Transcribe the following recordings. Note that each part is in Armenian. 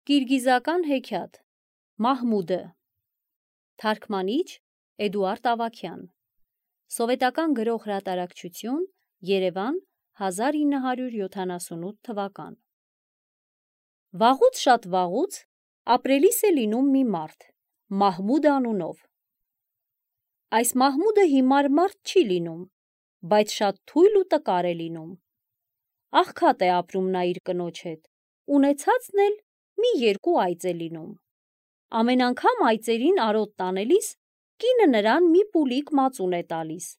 Կիրգիզական հեքիաթ Մահմուդը Թարգմանիչ Էդուարդ Ավագյան Սովետական գրող հրատարակչություն Երևան 1978 թվական Վաղուց շատ վաղուց ապրելիս է լինում մի մարդ Մահմուդ անունով Այս Մահմուդը հիմար մարդ չի լինում բայց շատ թույլ ու տկար է լինում Աղքատ է ապրում նա իր կնոջ հետ ունեցածն էլ մի երկու այծ է լինում Ամեն անգամ այծերին արոտ տանելիս կինը նրան մի պուլիկ մածուն է տալիս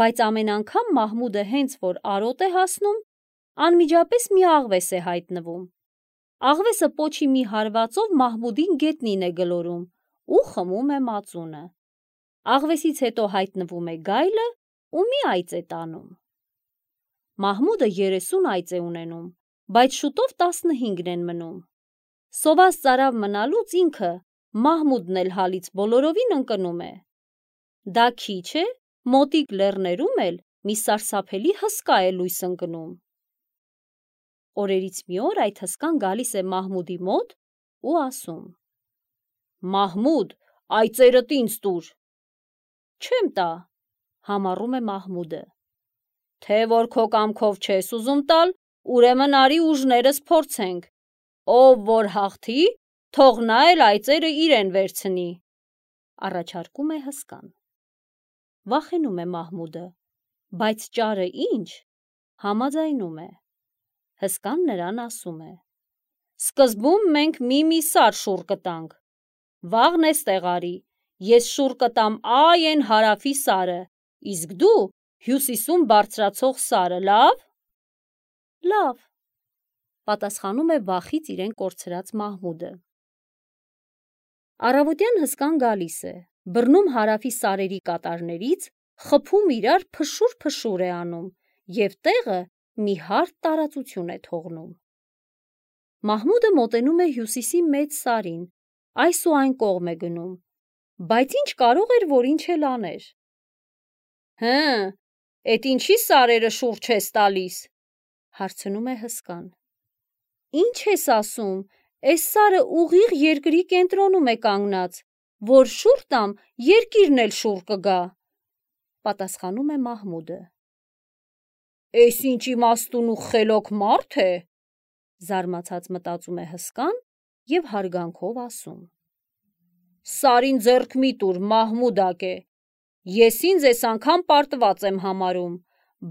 Բայց ամեն անգամ Մահմուդը հենց որ արոտ է հասնում անմիջապես մի աղվես է հայտնվում Աղվեսը պոչի մի հարվածով Մահմուդին գետնին է գլորում ու խմում է մածունը Աղվեսից հետո հայտնվում է գայլը ու մի այծ է տանում Մահմուդը 30 այծ է ունենում բայց շուտով 15-ն են մնում Սոված ծարավ մնալուց ինքը Մահմուդն էլ հալից բոլորովին ընկնում է Դա քիչ է մոտիկ լեռներում էլ մի սարսափելի հսկա է լույս ընկնում Օրերից մի օր այդ հսկան գալիս է Մահմուդի մոտ ու ասում Մահմուդ այծերդ ինձ տուր Չեմ տա համառում է Մահմուդը Թե որ քո կամքով չես ուզում տալ ուրեմն արի ուժներս փորձենք Ով որ հաղթի, թող նա էլ այծերը իրեն վերցնի, առաջարկում է հսկան Վախենում է Մահմուդը, բայց ճարը ինչ, համաձայնում է Հսկան նրան ասում է Սկզբում մենք մի սար շուռ կտանք, վաղն էստեղ արի, ես շուռ կտամ այն հարավի սարը, իսկ դու հյուսիսում բարձրացող սարը, լավ Լավ Պատասխանում է վախից իրեն կորցրած Մահմուդը Առավոտյան հսկան գալիս է, բռնում հարավի սարերի կատարներից, խփում իրար փշուր է անում և տեղը մի հարթ տարածություն է թողնում Մահմուդը մոտենում է հյուսիսի մեծ սարին, այս ու այն կողմ է գնում, բայց ինչ կարող էր, որ ինչ էլ աներ Էդ ինչի սարերը շուռ չես տալիս, հարցնում է հսկան Ինչ ես ասում, էս սարը ուղիղ երկրի կենտրոնում է կանգնած, որ շուռ տամ, երկիրն էլ շուռ կգա, պատասխանում է Մահմուդը Էս ինչ իմաստուն ու խելոք մարդ է, զարմացած մտածում է հսկան և հարգանքով ասում Սարին ձեռք մի տուր, Մահմուդակե, ես ինձ էս անգամ պարտված եմ համարում,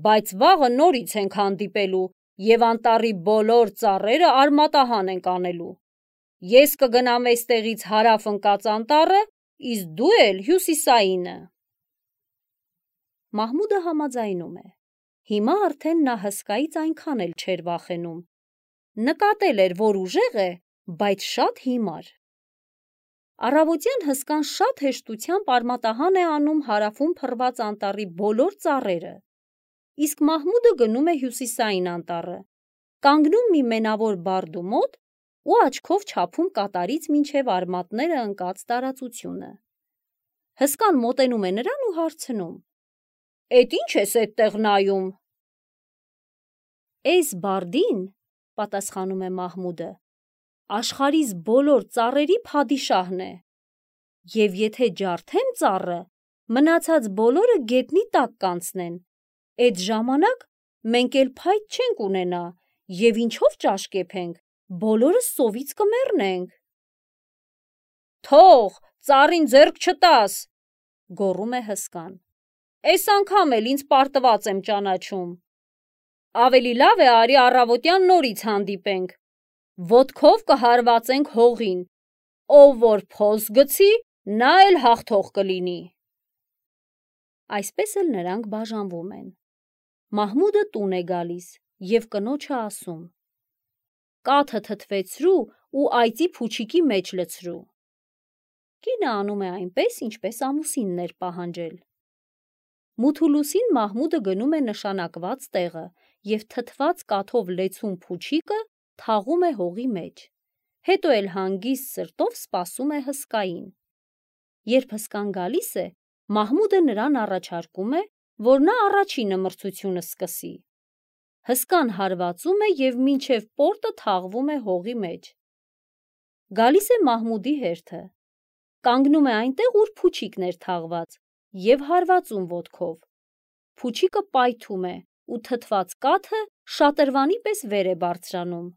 բայց վաղը նորից ենք հանդիպելու և անտառի բոլոր ծառերը արմատահան ենք անելու Ես կգնամ էստեղից հարավ ընկած անտառը, իսկ դու էլ հյուսիսայինը Մահմուդը համաձայնում է Հիմա արդեն նա հսկայից այնքան էլ չէր վախենում Նկատել էր, որ ուժեղ է, բայց շատ հիմար Առավոտյան հսկան շատ հեշտությամբ արմատահան է անում հարավում փռված անտառի բոլոր ծառերը Իսկ Մահմուդը գնում է հյուսիսային անտառը Կանգնում մի մենավոր բարդու մոտ ու աչքով չափում կատարից մինչև արմատները ընկած տարածությունը Հսկան մոտենում է նրան ու հարցնում Էդ ինչ ես էդտեղ նայում Էս բարդին, պատասխանում է Մահմուդը, աշխարհիս բոլոր ծառերի փադիշահն է և եթե ջարդեմ ծառը, մնացած բոլորը գետնի տակ կանցնեն, էդ ժամանակ մենք էլ փայտ չենք ունենա և ինչով ճաշկեփենք, բոլորս սովից կմեռնենք Թող, ծառին ձեռք չտաս, գոռում է հսկան Էս անգամ էլ ինձ պարտված եմ ճանաչում Ավելի լավ է արի առավոտյան նորից հանդիպենք Ոտքով կհարվածենք հողին Ով որ փոս գցի, նա էլ հաղթող կլինի Այսպես էլ նրանք բաժանվում են Մահմուդը տուն է գալիս և կնոջը ասում Կաթը թթվեցրու ու այծի փուչիկի մեջ լցրու Կինը անում է այնպես, ինչպես ամուսինն էր պահանջել Մութ ու լուսին Մահմուդը գնում է նշանակված տեղը և թթված կաթով լեցուն փուչիկը թաղում է հողի մեջ Հետո էլ հանգիստ սրտով սպասում է հսկային Երբ հսկան գալիս է, Մահմուդը նրան առաջարկում է, որ նա առաջինը մրցությունը սկսի Հսկան հարվածում է և մինչև պորտը թաղվում է հողի մեջ Գալիս է Մահմուդի հերթը, կանգնում է այնտեղ, ուր փուչիկն էր թաղված և հարվածում ոտքով։ Փուչիկը պայթում է ու թթված կաթը շատրվանի պես վեր է բարձրանում։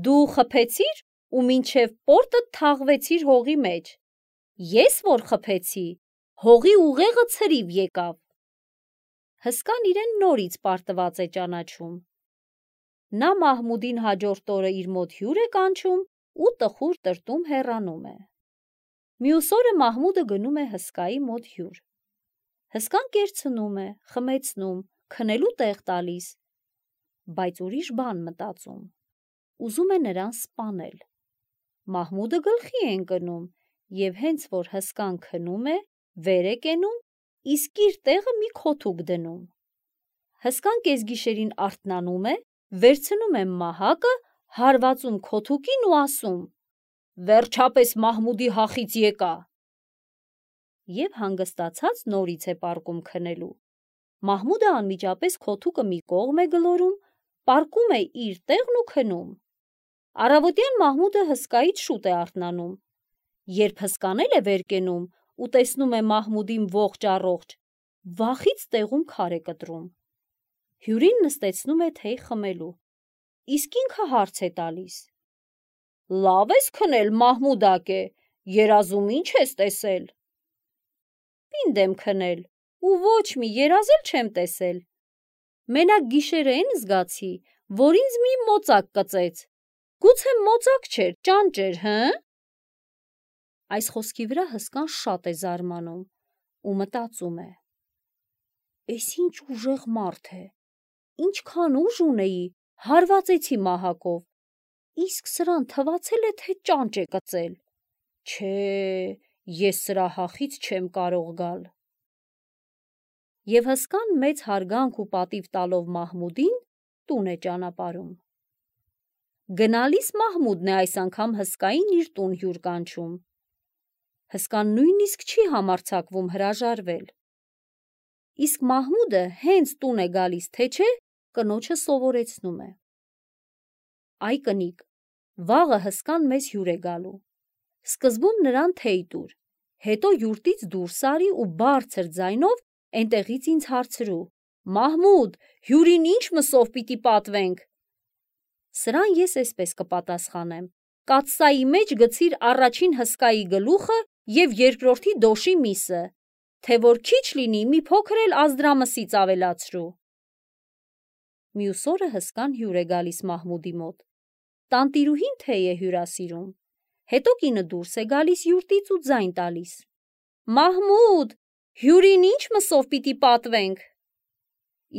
Դու խփեցիր ու մինչև պորտդ թաղվեցիր հողի մեջ։ Ես որ խփեցի, հողի ուղեղը ցրիվ եկավ։ Հսկան իրեն նորից պարտված է ճանաչում։ Նա Մահմուդին հաջորդ օրը իր մոտ հյուր է կանչում ու տխուր տրտում հեռանում է։ Մյուս օրը Մահմուդը գնում է հսկայի մոտ հյուր։ Հսկան կերցնում է, խմեցնում, քնելու տեղ տալիս, բայց ուրիշ բան մտածում։ Ուզում է նրան սպանել։ Մահմուդը գլխի է ընկնում և հենց որ հսկան քնում է, վեր է կենում, իսկ իր տեղը մի քոթուկ դնում։ Հսկան կեսգիշերին արթնանում է, վերցնում է մահակը, հարվածում քոթուկին ու ասում. «Վերջապես Մահմուդի հախից եկա»։ Եվ հանգստացած նորից է պառկում քնելու։ Մահմուդը անմիջապես քոթուկը մի կողմ է գլորում, պառկում է իր տեղն ու քնում։ Առավոտյան Մահմուդը հսկայից շուտ է արթնանում։ Երբ հսկան էլ է վեր կենում ու տեսնում է Մահմուդին ողջ-առողջ, վախից տեղում քար է կտրում։ Հյուրին նստեցնում է թեյ խմելու, իսկ ինքը հարց է տալիս. «Լավ ես քնել, Մահմուդակե, երազում ինչ ես տեսել»։ «Պինդ եմ քնել ու ոչ մի երազ էլ չեմ տեսել։ Մենակ գիշերը էն զգացի, որ ինձ մի մոծակ կծեց։ Գուցե մոծակ չէր, ճանճ էր, հը»։ Այս խոսքի վրա հսկան շատ է զարմանում ու մտածում է. «Էս ինչ ուժեղ մարդ է, ինչքան ուժ ունեի, հարվածեցի մահակով, իսկ սրան թվացել է, թե ճանճ է կծել։ Չէ, ես սրա հախից չեմ կարող գալ»։ Եվ հսկան մեծ հարգանք ու պատիվ տալով Մահմուդին, տուն է ճանապարհում։ Գնալիս Մահմուդն է այս անգամ հսկային իր տուն հյուր կանչում։ Հսկան նույնիսկ չի համարձակվում հրաժարվել։ Իսկ Մահմուդը հենց տուն է գալիս, թե չէ, կնոջը սովորեցնում է. «Այ կնիկ, վաղը հսկան մեզ հյուր է գալու։ Սկզբում նրան թեյ տուր, հետո յուրտից դուրս արի ու բարձր ձայնով էնտեղից ինձ հարցրու. Մահմուդ, հյուրին ինչ մսով պիտի պատվենք»։ Սրան ես էսպես կպատասխանեմ. «Կաթսայի մեջ գցիր առաջին հսկայի գլուխը և երկրորդի դոշի միսը, թե որ քիչ լինի, մի փոքր էլ ազդրամսից ավելացրու»։ Մյուս օրը հսկան հյուր է գալիս Մահմուդի մոտ։ Տանտիրուհին թեյ է հյուրասիրում։ Հետո կինը դուրս է գալիս յուրտից ու ձայն տալիս. «Մահմուդ, հյուրին ինչ մսով պիտի պատվենք»։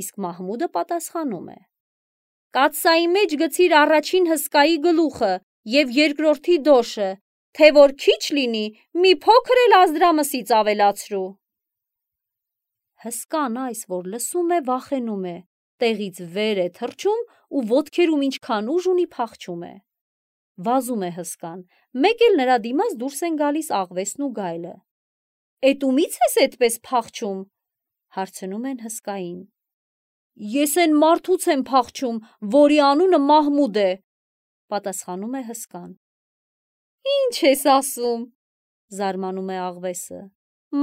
Իսկ Մահմուդը պատասխանում է. «Կաթսայի մեջ գցիր առաջին հսկայի գլուխը և երկրորդի դոշը, թե որ քիչ լինի, մի փոքր էլ ազդրամսից ավելացրու»։ Հսկան այս, որ լսում է, վախենում է, տեղից վեր է թռչում ու ոտքերում ինչքան ուժ ունի փախչում է։ Վազում է հսկան, մեկ էլ նրա դիմաց դուրս են գալիս աղվեսն ու գայլը։ «Էդ ումից ես էդպես փախչում»։ Հարցնում են հսկային։ «Ես էն մարդուց եմ փախչում, որի անունը Մահմուդ է», պատասխանում է հսկան։ «Ինչ ես ասում», զարմանում է աղվեսը։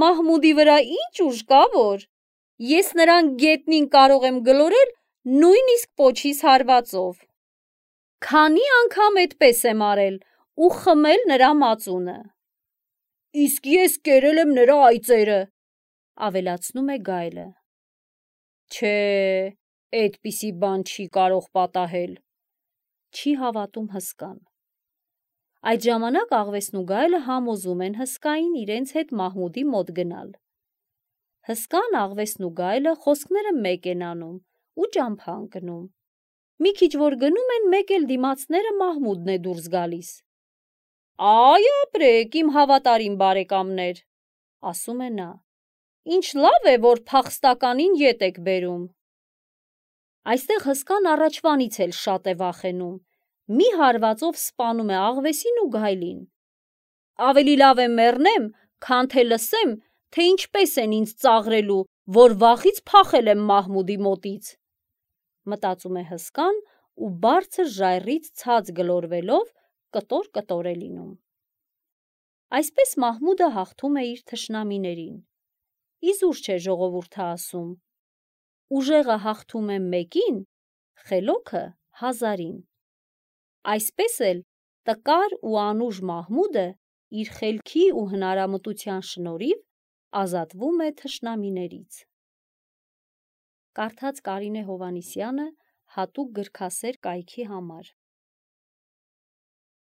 «Մահմուդի վրա ինչ ուժ կա, որ ես նրան գետնին կարող եմ գլորել նույնիսկ պոչիս հարվածով։ Քանի անգամ էդպես եմ արել ու խմել նրա մածունը։ Իսկ ես կերել եմ նրա այծերը», ավելացնում է գայլը։ «Չէ, էդպիսի բան չի կարող պատահել», չի հավատում հսկան։ Այդ ժամանակ աղվեսն ու գայլը համոզում են հսկային իրենց հետ Մահմուդի մոտ գնալ։ Հսկան, աղվեսն ու գայլը խոսքները մեկ են անում ու ճամփա ընկնում։ Մի քիչ որ գնում են, մեկ էլ դիմացները Մահմուդն է դուրս գալիս։ «Այ ապրեք, իմ հավատարիմ բարեկամներ», ասում է նա, «ինչ լավ է, որ փախստականին ետ եք բերում»։ Այստեղ հսկան առաջվանից էլ շատ է վախենում, մի հարվածով սպանում է աղվեսին ու գայլին։ Ավելի լավ է մեռնեմ, քան թե լսեմ, թե ինչպես են ինձ ծաղրելու, որ վախից փախել եմ Մահմուդի մոտից, մտածում է հսկան ու բարձր ժայռից ցած գլորվելով կտոր-կտոր է լինում։ Այսպես Մահմուդը հաղթում է իր թշնամիներին։ Իզուր չէ ժողովուրդը ասում. ուժեղը հաղթում է մեկին, խելոքը 1000-ին։ Այսպես էլ տկար ու անուժ Մահմուդը իր խելքի ու հնարամտության շնորհիվ ազատվում է թշնամիներից։ Կարդաց Կարինե Հովհաննիսյանը հատուկ գրքասեր կայքի համար։